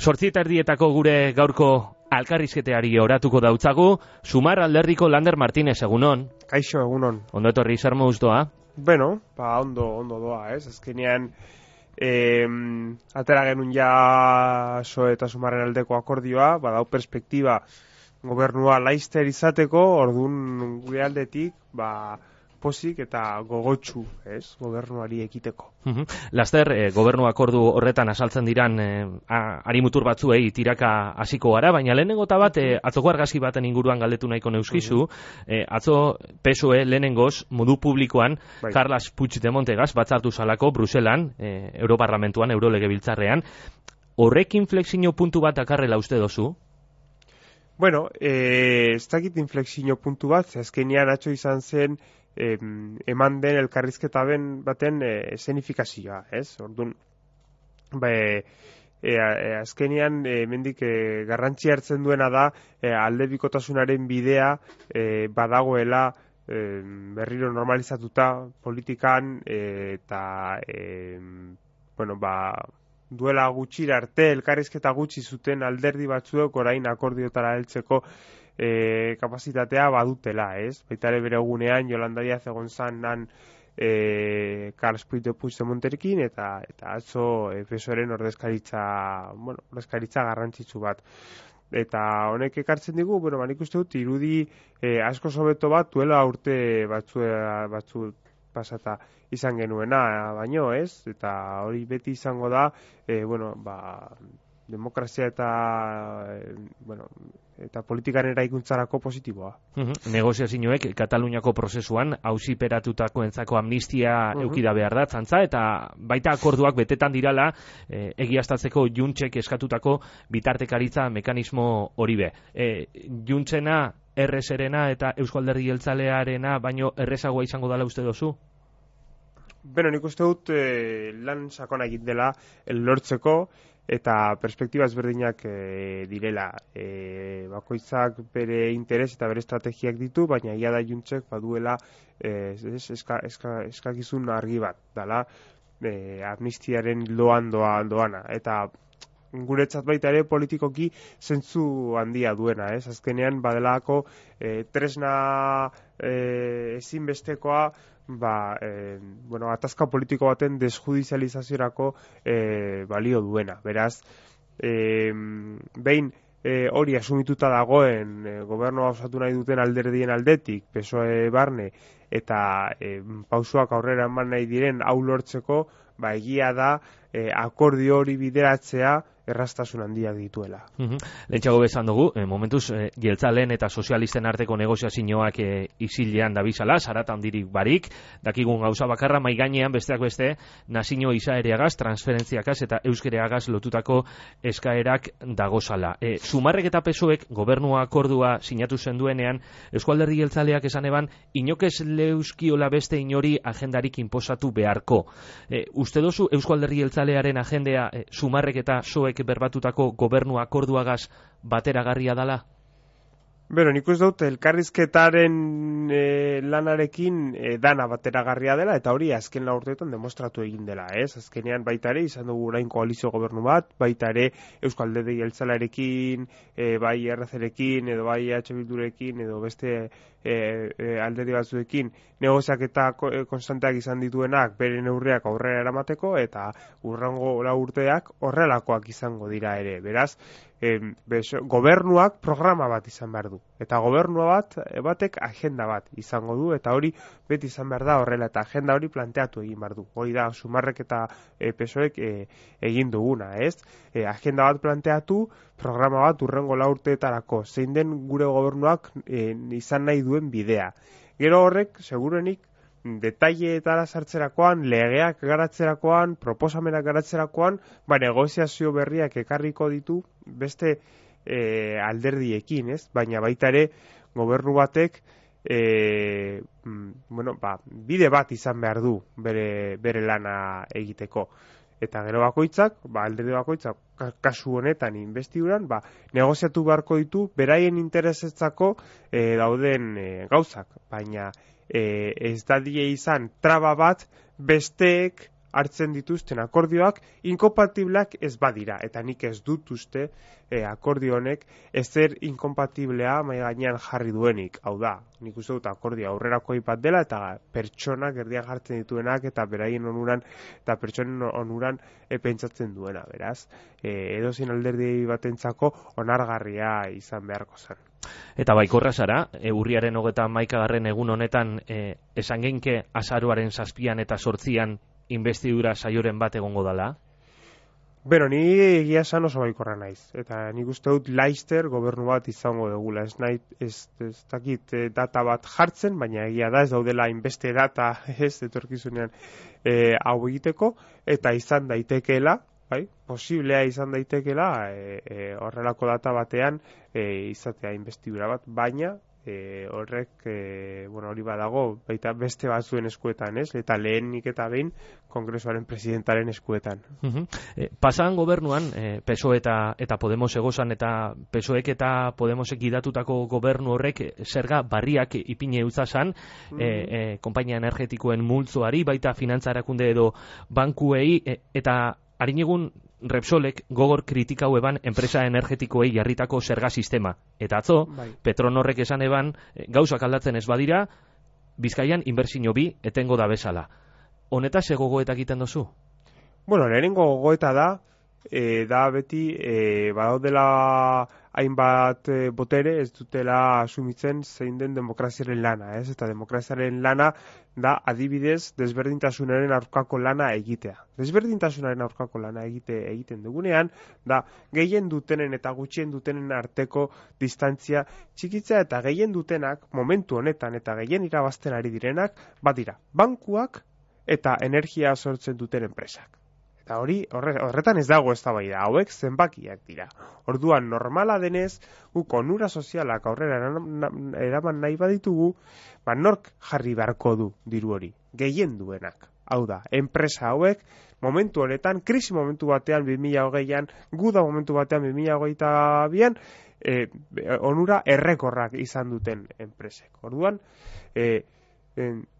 8:30 gure gaurko alkarrizketeari oratuko dautzagu, Sumar alderdiko Lander Martínez, egunon. Kaixo, egunon. Ondo etorri, zer moduz doa? Bueno, ondo doa, ez? Azkenean, atera genuen ja SOE eta Sumarren aldeko akordioa, badau perspektiba gobernua laizter izateko, orduan gure aldetik, posik eta gogotsu, ez? Gobernuari ekiteko. Laster, gobernu akordu horretan asaltzen diran arimutur batzuei tiraka hasiko gara, baina lehenengo eta bat, atzoko argazki baten inguruan galdetu nahiko neuskizu, atzo PSOE lehenengoz, modu publikoan, Carles Puigdemontegaz batzartu salako Bruselan, Europarlamentuan, Eurolegebiltzarrean, horrek inflexio puntu bat dakarrela uste dozu? Bueno, ez dakit inflexio puntu bat, azkenean atzo izan zen, eman den elkarrizketa baten esenifikazioa, ez? Orduan, azkenean hemendik garrantzi hartzen duena da aldebikotasunaren bidea badagoela berriro normalizatuta politikan eta duela gutxira arte elkarrizketa gutxi zuten alderdi batzuek orain akordiotara heltzeko kapazitatea badutela, ez? Baita ere bere egunean Yolanda Díaz egon zanan Carles Puigdemonterekin eta atzo PSOEren ordezkaritza garrantzitsu bat. Eta honek ekartzen digu, nik uste dut irudi asko hobeto bat duela urte batzu pasata izan genuena, baino, ez? Eta hori beti izango da, demokrazia eta politikaren eraikuntzarako positiboa. Negoziazioek Kataluniako prozesuan auziperatutakoentzako amnistia eukida behar da, txantza, eta baita akorduak betetan dirala egiaztatzeko Juntsek eskatutako bitartekaritza mekanismo hori be. Juntsena, errezerena eta Eusko Alderdi Jeltzalearena baino errezagoa izango dela uste dozu? Nik uste dut lan sakona egin dela lortzeko eta perspektiba ezberdinak direla. Bakoitzak bere interes eta bere estrategiak ditu, baina ia da Juntsek baduela eskakizun argi bat, dala amnistiaren doana. Eta guretzat baita ere politikoki zentzu handia duena, ez? Azkenean badelako tresna ezinbestekoa atazka politiko baten desjudizializaziorako balio duena. Beraz, behin hori asumituta dagoen gobernua osatu nahi duten alderdien aldetik, PSOE barne, eta pausoak aurrera eman nahi diren hau lortzeko, egia da akordio hori bideratzea erraztasun handiak dituela. Lehentxago bezan dugu, momentuz jeltzaleen eta sozialisten arteko negoziazioak isilean dabizala, zarata handirik barik, dakigun gauza bakarra maigainean besteak beste nazio izaereagaz, transferentziakaz eta euskereagaz lotutako eskaerak dagozala. Sumarrek eta PSOEk gobernua akordua sinatu zenduenean, Eusko Alderdi Jeltzaleak esan eban, inokez leuskiola beste inori agendarik inposatu beharko. Uste dozu Eusko Alderdi Jeltzalearen agendea Sumarrek eta PSOEk berbatutako gobernu akorduagaz bateragarria dala? Nik uste dut elkarrizketaren lanarekin dana bateragarria dela, eta hori azken lau urteetan demostratu egin dela, ez? Azkenean baita ere izan dugu orain koalizio gobernu bat, baita ere Eusko Alderdi Jeltzalearekin, bai RC-rekin, edo bai EH Bildurekin, edo beste alderdi batzuekin negoziaketa konstanteak izan dituenak bere neurriak aurrera eramateko, eta hurrengo lau urteak horrelakoak izango dira ere. Beraz, gobernuak programa bat izan behar du. Eta gobernua batek agenda bat izango du, eta hori beti izan behar da horrela, eta agenda hori planteatu egin behar du. Hori da, Sumarrek eta PSOEk egin duguna, ez? Agenda bat planteatu, programa bat hurrengo lau urteetarako, zein den gure gobernuak izan nahi duen bidea. Gero horrek, segurenik, detaileetara sartzerakoan, legeak garatzerakoan, proposamenak garatzerakoan, negoziazio berriak ekarriko ditu beste alderdiekin, ez? Baina baita ere gobernu batek bide bat izan behar du bere lana egiteko. Eta gero bakoitzak, alderdi bakoitzak, kasu honetan investiduran, negoziatu beharko ditu beraien interesetzako dauden gauzak. Baina ez dadie izan traba bat besteek hartzen dituzten akordioak inkompatibleak ez badira, eta nik ez dut uste akordio honek ezer inkompatiblea mahai gainean jarri duenik. Hau da, nik uste dut akordio aurrerakoi bat dela, eta pertsonak erdian jartzen dituenak, eta beraien onuran, eta pertsonen onuran pentsatzen duena, beraz. Edozein alderdi batentzako onargarria izan beharko zen. Eta baikorra zara, urriaren 31. egun honetan esan geinke azaroaren 7 eta 8 investidura saioren bat egongo dala? Beno, ni egia esan oso baikorra naiz. Eta nik uste dut Laster gobernu bat izango dugula. Ez dakit data bat jartzen, baina egia da ez daudela inbeste data etorkizunean hau egiteko, eta izan daitekeela, bai, posiblea izan daitekeela horrelako data batean izatea investidura bat, baina horrek, hori badago, baita beste batzuen eskuetan, ez? Eta lehenik eta behin Kongresuaren presidentaren eskuetan. Pasan gobernuan, PSOE eta Podemos egozan, eta PSOEk eta Podemosek gidatutako gobernu horrek zerga barriak ipine utzazan, konpainia energetikoen multzoari, baita finantza erakunde edo bankuei, eta harin egun Repsolek gogor kritikau eban enpresa energetikoei jarritako zerga sistema. Eta atzo, Petronorrek esan eban, gauzak aldatzen ez badira, Bizkaian inbertsio bi etengo da bezala. Honetaz gogoeta egiten duzu? Lehenengo gogoeta da beti badaudela hainbat botere ez dutela asumitzen zein den demokraziaren lana, ez? Eta demokraziaren lana da adibidez desberdintasunaren aurkako lana egitea. Desberdintasunaren aurkako lana egiten dugunean da gehien dutenen eta gutxien dutenen arteko distantzia txikitzea, eta gehien dutenak momentu honetan eta gehien irabazten ari direnak badira bankuak eta energia sortzen duten enpresak. Eta horretan ez dago eztabaida, hauek zenbakiak dira. Orduan normala denez, guk onura sozialak aurrera eraman nahi baditugu, nork jarri beharko du diru hori, gehien duenak. Hau da, enpresa hauek momentu honetan, krisi momentu batean 2020an, guda momentu batean 2022an, onura errekorrak izan duten enpresek. Orduan,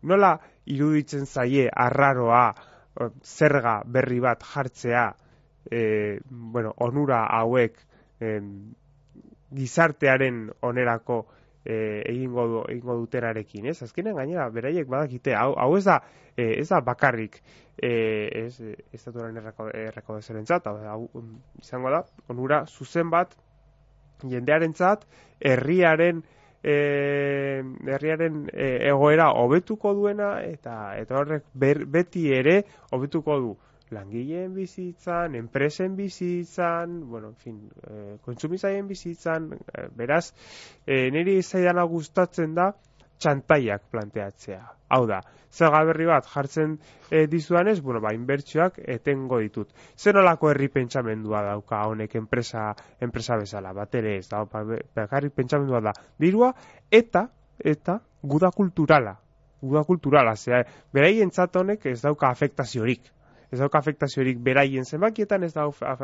nola iruditzen zaie arraroa zerga berri bat jartzea, onura hauek gizartearen onerako egingo dutenarekin, ez? Azkenean gainera beraiek badakite, hau ez da bakarrik estatuaren erreko dezerentzat, hau izango da, onura zuzen bat jendearentzat herriaren egoera hobetuko duena, eta horrek beti ere hobetuko du langileen bizitzan, enpresen bizitzan, kontsumitzaileen bizitzan, beraz, niri zaidana gustatzen da txantaiak planteatzea. Hau da, zerga berri bat jartzen dizudanez, inbertsioak etengo ditut. Zer nolako herri pentsamendua dauka honek enpresa bezala, bat ere ez, bakarrik pentsamendua da dirua, eta guda kulturala, beraien honek ez dauka afektaziorik. Ez dauka afektaziorik beraien zenbakietan, ez dauka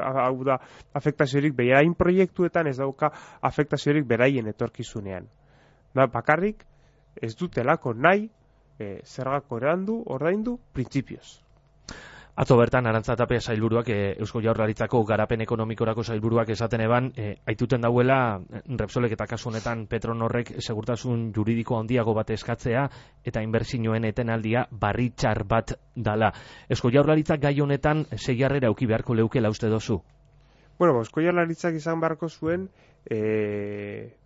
afektaziorik beraien proiektuetan, ez dauka afektaziorik beraien etorkizunean. Bakarrik ez dutelako nahi zergako ordaindu printzipioz. Atzo bertan Arantza Tapia sailburuak, Eusko Jaurlaritzako garapen ekonomikorako sailburuak esaten eban, aituten dauela Repsolek eta kasu honetan Petronorrek segurtasun juridiko handiago bat eskatzea eta inbertsioen etenaldia barritxar bat dala. Eusko Jaurlaritzak gai honetan seiarrera eduki beharko leukela uste dozu? Eusko Jaurlaritzak izan beharko zuen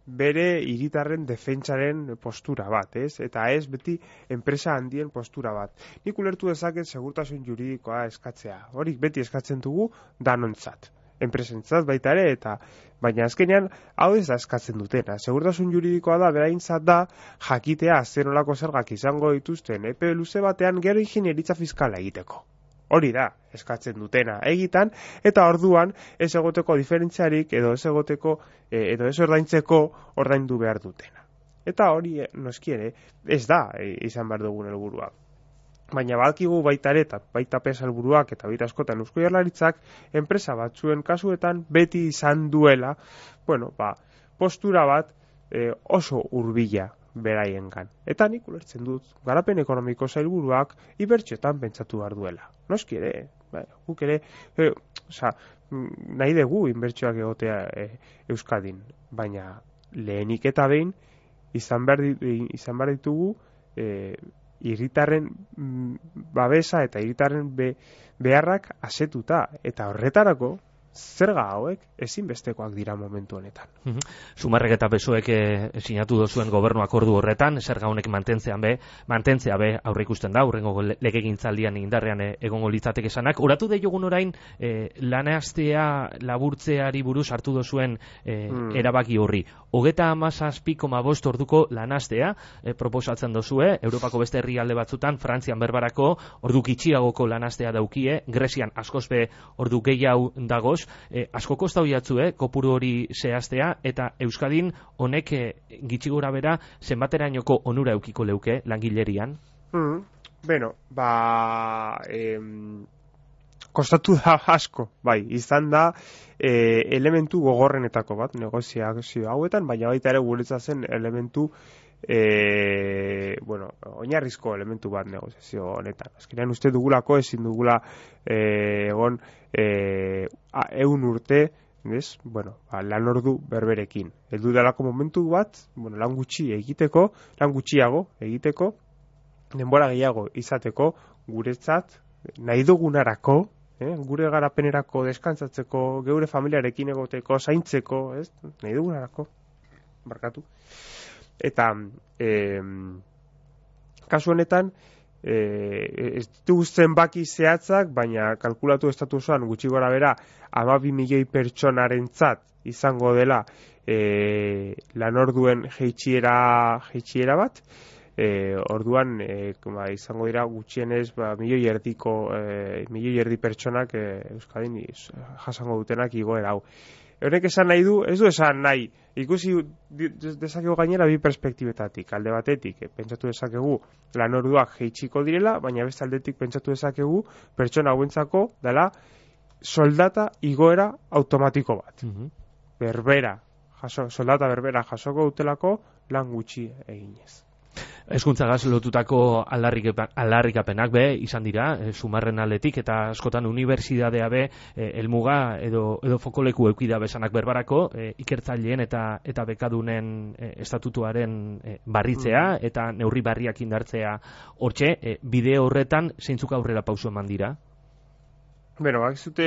bere hiritarren defentsaren postura bat, ez? Eta ez beti enpresa handien postura bat. Nik ulertu dezaket segurtasun juridikoa eskatzea. Horik beti eskatzen dugu danontzat. Enpresentzat baita ere, baina azkenean hau ez da eskatzen dutena. Segurtasun juridikoa da, beraintzat da, jakitea zer nolako zergak izango dituzten epe luze batean gero ingeniaritza fiskala egiteko. Hori da, eskatzen dutena egitan, eta orduan ez egoteko diferentziarik edo ez egoteko edo ez ordaintzeko ordaindu behar dutena. Eta hori noskiere ez da izan behar dugun helburua. Baina badakigu baita ere, baita pesalburuak eta baita askotan Eusko Jaurlaritzak enpresa batzuen kasuetan beti izan duela, postura bat oso hurbila beraiengan. Eta nik ulertzen dut, garapen ekonomiko sailburuak inbertsioetan pentsatu behar duela. noski ere, guk ere, nahi dugu inbertsioak egotea Euskadin, baina lehenik eta behin izan behar ditugu hiritarren babesa eta hiritarren beharrak asetuta, eta horretarako zerga hauek ezinbestekoak dira momentu honetan. Sumarrek eta PSOEk sinatu dozuen gobernu akordu horretan, zerga honek mantentzea be aurre ikusten da, hurrengo legegintzaldian indarrean egongo litzateke esanak. Oratu deiogun orain, lanastea laburtzeari buruz hartu dozuen erabaki horri. 37,5 orduko lanastea proposatzen dozue, Europako beste herrialde batzutan, Frantzian berbarako ordu gitxiagoko lanastea daukie, Grezian askoz be ordu gehiago dagoz, asko kostau jatzu, kopuru hori zehaztea, eta Euskadin honek gitxi gora bera zenbaterainoko onura eukiko leuke langilerian? Beno, kostatu da asko, bai, izan da elementu gogorrenetako bat negoziazio hauetan, baina baita ere guretza zen elementu oinarrizko elementu bat negoziazio honetan. Azkenean uste dugulako ezin dugula egon 100 urte, lan ordu berberekin. Heldu delako momentu bat, lan gutxiago egiteko, denbora gehiago izateko, guretzat nahi dugunarako, gure garapenerako, deskantzatzeko, geure familiarekin egoteko, zaintzeko, nahi dugunarako, barkatu. Eta kasu honetan ez ditugu zenbaki zehatzak, baina kalkulatu estatu osoan gutxi gora bera 12 milioi pertsonarentzat izango dela lanorduen jeitsiera bat. Orduan izango dira gutxienez milioi erdi pertsonak Euskadin jasango dutenak igoera hau. Honek esan nahi du, ez du esan nahi, ikusi dezakegu gainera bi perspektibetatik. Alde batetik, pentsatu dezakegu lanorduak jeitsiko direla, baina beste aldetik pentsatu dezakegu pertsona hauentzako dela soldata igoera automatiko bat. Soldata berbera jasoko dutelako lan gutxi eginez. Hezkuntzagaz lotutako aldarrikapenak be izan dira, Sumarren aldetik, eta askotan unibertsitatea be helmuga edo fokoleku eukida besanak berbarako, ikertzaileen eta bekadunen estatutuaren barritzea eta neurri barriak indartzea hortxe, bide horretan zeintzuk aurrera pauso eman dira? Bakizute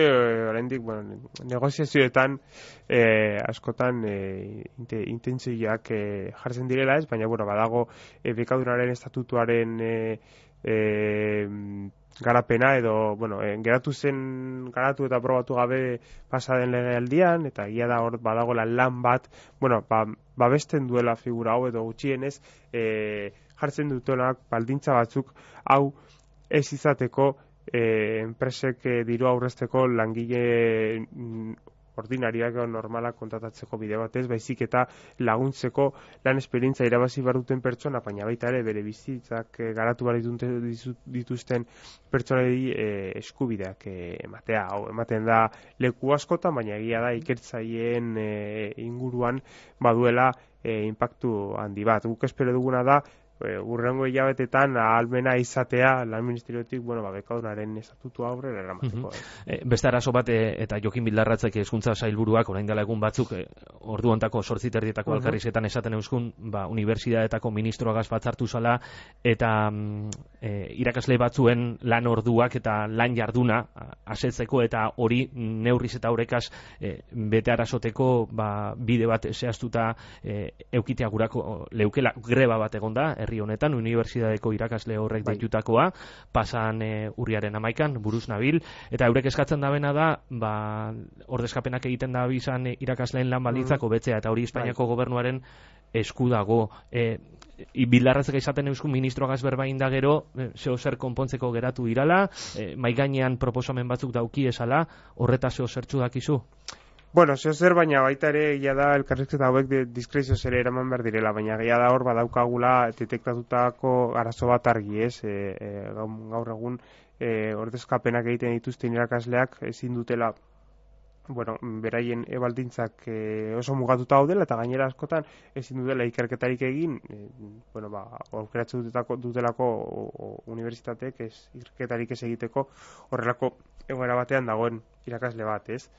oraindik negoziazioetan askotan intentzioak jartzen direla ez, baina badago bekadunaren estatutuaren garapena edo garatu eta aprobatu gabe pasaden legealdian, eta egia da hor badago lan bat babesten duela figura hau edo gutxienez jartzen dutenak baldintza batzuk hau ez izateko enpresek diru aurrezteko langile ordinariak o normalak kontratatzeko bide batez, baizik eta laguntzeko lan esperientzia irabazi behar duten pertsona, baina baita ere bere bizitzak garatu behar dituzten pertsonei eskubideak ematea. Hau ematen da leku askotan, baina egia da ikertzaileen inguruan baduela inpaktu handi bat. Guk espero duguna da urrengo hilabetetan ahalmena izatea lan ministeriotik, bekadunaren estatutua aurrera eramateko. Beste arazo bat, eta Jokin Bildarratzek hezkuntza sailburuak orain dela egun batzuk ordu hontako 8:30 elkarrizketan esaten euskun, unibertsitateetako ministroagaz batzartu zala, eta irakasle batzuen lan orduak eta lan jarduna asetzeko, eta hori neurriz eta horrekaz bete arazoteko bide bat zehaztuta eukitea gurako leukela greba bat egonda, herri honetan, unibertsitateko irakasle horrek deitutakoa, pasan urriaren 11an, buruz nabil, eta eurek eskatzen dabena da, ordezkapenak egiten da bizan irakasleen lan baldintzak hobetzea, eta hori Espainiako gobernuaren esku dago. Bildarratzek esaten euskun ministroagaz berbain da gero, zeo zer konpontzeko geratu irala, mai gainean proposamen batzuk dauki esala, horreta zeo zertzu dakizu? Zeo zer, baina baita ere egia da elkarrizketa hauek diskrezio ere eraman behar direla, baina egia da hor badaukagula detektatutako arazo bat argi, ez? Gaur egun ordezkapenak egiten dituzten irakasleak ezin dutela bueno, beraien baldintzak oso mugatuta daudela eta gainera askotan ezin dutela ikerketarik egin, bueno, aukeratzen dutelako unibertsitateek ikerketarik ez egiteko horrelako egoera batean dagoen irakasle bat, ez?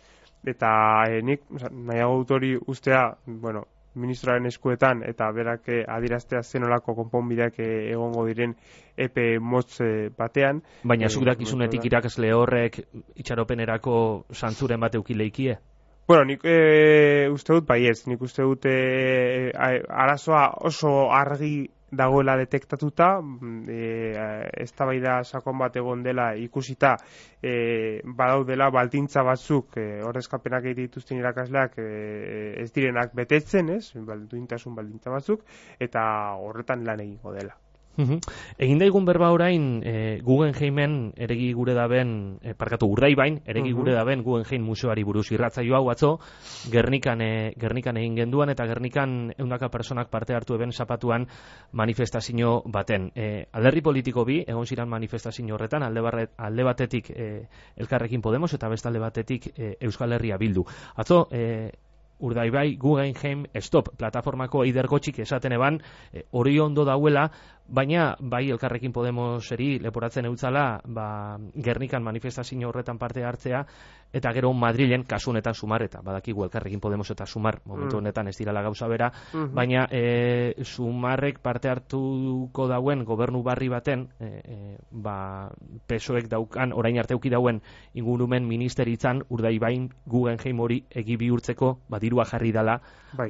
Eta nik nahiago dut hori ustea, bueno, ministroaren eskuetan eta berak adieraztea zenolako konponbideak egongo diren epe motz batean. Baina zuk dakizunetik irakasle horrek itxaropenerako zantzuren bat eukileikie? Bueno, nik uste dut baiez, nik uste dut arazoa oso argi dagoela detektatuta, eztabaida sakon bat egon dela ikusita badaudela baldintza batzuk ordezkapenak egiten dituzten irakasleak ez direnak betetzen, ez? Duintasun baldintza batzuk eta horretan lan egingo dela. Egin daigun berba orain Guggenheimen eregi gure daben, Urdaibain eregi gure daben Guggenheim museoari buruz irratzaio hau atzo Gernikan egin genduan eta Gernikan 100 personak parte hartu eben zapatuan manifestazio baten. Alderdi politiko bi egon ziran manifestazio horretan, alde batetik Elkarrekin Podemos eta beste alde batetik Euskal Herria Bildu. Atzo Urdaibai Guggenheim Stop plataformako eidergotxik esaten eban hori ondo dauela, baina bai Elkarrekin Podemoseri leporatzen eutzala Gernikan manifestazio horretan parte hartzea eta gero Madrilen kasu honetan Sumar eta badakigu Elkarrekin Podemos eta Sumar momentu honetan ez dirala gauza bera, baina Sumarrek parte hartuko dauen gobernu barri baten PSOek daukan orain arte eduki dauen ingurumen ministeritzan Urdaibain Guggenheim hori egi bihurtzeko dirua jarri dala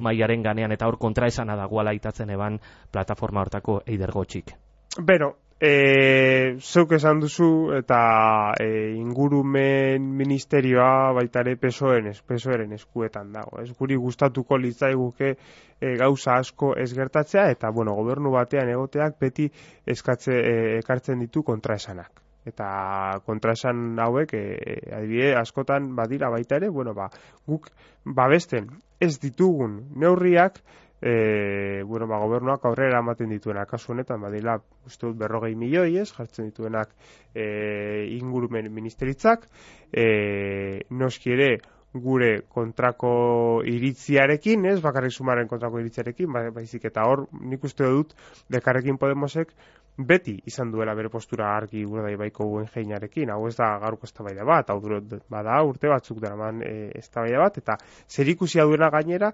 mailaren ganean eta hor kontraesana dagoala itatzen eban plataforma hortako eidergotxik. Bero, zeuk esan duzu eta ingurumen ministerioa baitare PSOEren eskuetan dago. Ez guri gustatuko litzaiguke gauza asko ez gertatzea eta bueno, gobernu batean egoteak beti ekartzen ditu kontraesanak. Eta kontraesan hauek adibide askotan badira baita ere, bueno, guk babesten ez ditugun neurriak gobernuak aurrera ematen dituenak. Kasu honetan badira uste dut 40 milioi jartzen dituenak ingurumen ministeritzak, noski ere gure kontrako iritziarekin, ez bakarrik Sumarren kontrako iritziarekin, baizik eta hor nik uste dut Elkarrekin Podemosek beti izan duela bere postura argi Urdaibaiko Guggenheimarekin. Hau ez da gaurko eztabaida bat, hau bada urte batzuk daraman eztabaida bat, eta zerikusia duena gainera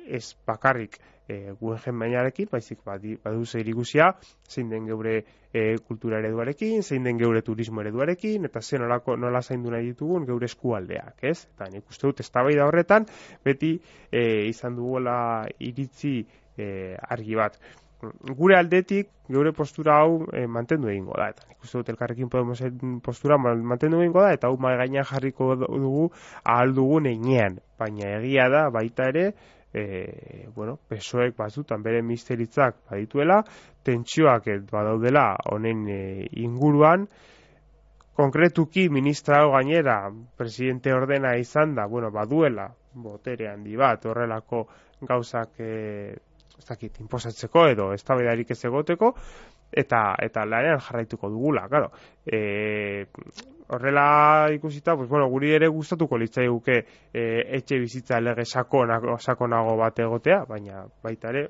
ez bakarrik Guggenheimarekin, baizik badu zerikusia zein den geure kultura ereduarekin, zein den geure turismo ereduarekin, eta nola zaindu nahi ditugun geure eskualdeak, ez? Eta nik uste dut eztabaida horretan beti izan dugula iritzi argi bat. Gure aldetik, geure postura hau mantendu egingo da, eta nik uste dut Elkarrekin Podemosen postura mantendu egingo da, eta hau mai gainean jarriko dugu ahal dugun heinean, baina egia da baita ere, PSOek batzutan bere ministeritzak badituela, tentsioak badaudela honen inguruan, konkretuki ministra hau gainera presidente ordena izan da, baduela botere handi bat horrelako gauzak inposatzeko edo eztabaidarik ez egoteko eta lanean jarraituko dugula, claro. Horrela ikusita, guri ere gustatuko litzaiguke etxe bizitza lege sakonago bat egotea, baina baita ere,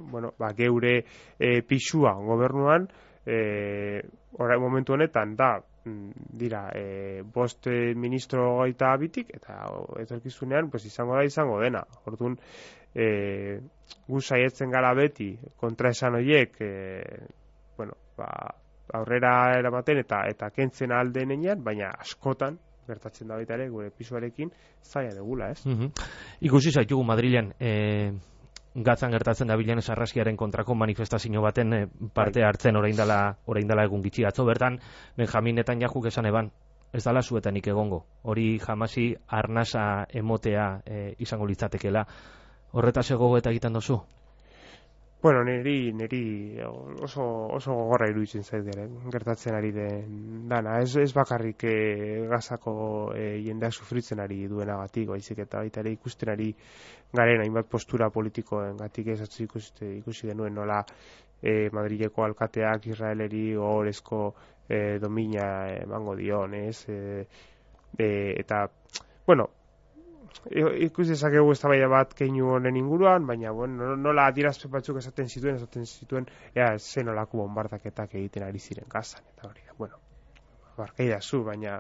geure pisua gobernuan orain momentu honetan dira 5 ministro gaita bitik eta etorkizunean izango dena. Orduan gu saietzen gara beti kontraesan horiek aurrera eramaten eta kentzen alde nenean, baina askotan gertatzen da baita ere gure pisuarekin zaila degula, ez? Ikusi zaitugu Madrilen gatzan gertatzen da bilen sarraskiaren kontrako manifestazio baten parte hartzen orain dela egun gitxi atzo bertan Benjamin Netanyahuk esan eban ez dala zuetanik egongo, hori jamasi arnasa emotea izango litzatekela. Horretaz gogo eta egiten dozu? Niri oso gogorra iruditzen zait gertatzen ari den dana. Ez bakarrik Gazako jendeak sufritzen ari duenagatik, baizik eta baita ere ikusten ari garen hainbat postura politikoengatik ez ikusi denuen nola Madrileko alkateak Israeleri ohorezko domina emango dion, ez? Eta, ikusi dezakegu eztabaida bat keinu honen inguruan, baina bueno, nola adierazpen batzuk esaten zituen zen olako bombardaketak egiten ari ziren Gazan, eta hori, bueno, barkaidazu, baina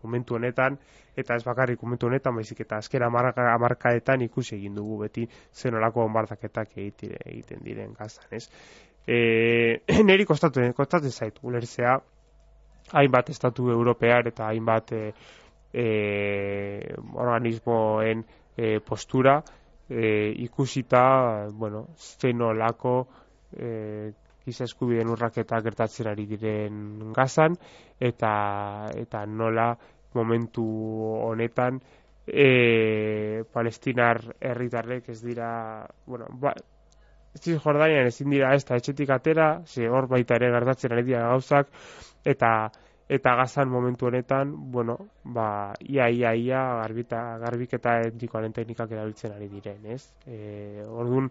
momentu honetan, eta ez bakarrik momentu honetan, baizik eta azken hamarkadetan ikusi egin dugu beti zen olako bombardaketak egiten diren Gazan, ez? Neri kostatzen zait ulertzea hainbat estatu europear eta hainbat organismoen postura ikusita, bueno, zen olako giza eskubideen urraketak gertatzen ari diren Gazan, eta nola momentu honetan palestinar herritarrek ez dira, bueno, Cisjordanian ezin dira ez da etxetik atera, hor baita ere gertatzen ari dira gauzak, eta Gazan momentu honetan, bueno, ia garbiketa etnikoaren teknikak erabiltzen ari diren, ez? Orduan,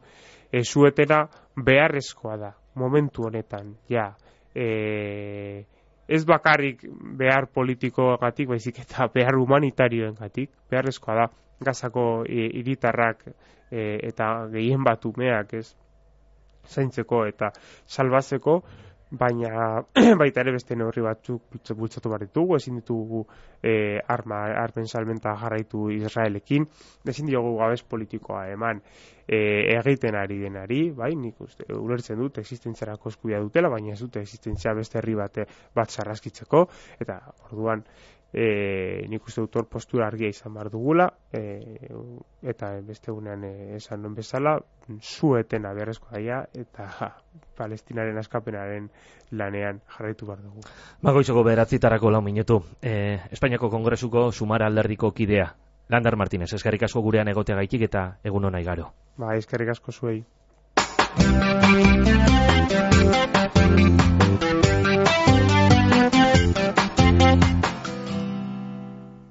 suetena beharrezkoa da, momentu honetan, ja. Ez bakarrik behar politikoagatik, baizik eta behar humanitarioengatik, beharrezkoa da, Gazako hiritarrak eta gehien bat umeak, ez? Zaintzeko eta salbatzeko, baina baita ere beste neurri batzuk bultzatu behar ditugu, ezin ditugu armen salmenta jarraitu Israelekin, ezin diogu gabez politikoa eman egiten ari denari, bai, nik ulertzen dut existentziarako eskubidea dutela, baina ez dute existentzia beste herri bat sarraskitzeko, eta orduan nik uste dut hor postura argia izan behar dugula, eta beste gunean esan nuen bezala, suetena beharrezkoa daia, eta Palestinaren askapenaren lanean jarraitu behar dugu. Goizeko 9:00 4 minutu. Espainiako Kongresuko Sumar alderdiko kidea. Lander Martínez, eskerrik asko gurean egoteagaitik eta egun ona igaro. Eskerrik asko zuei.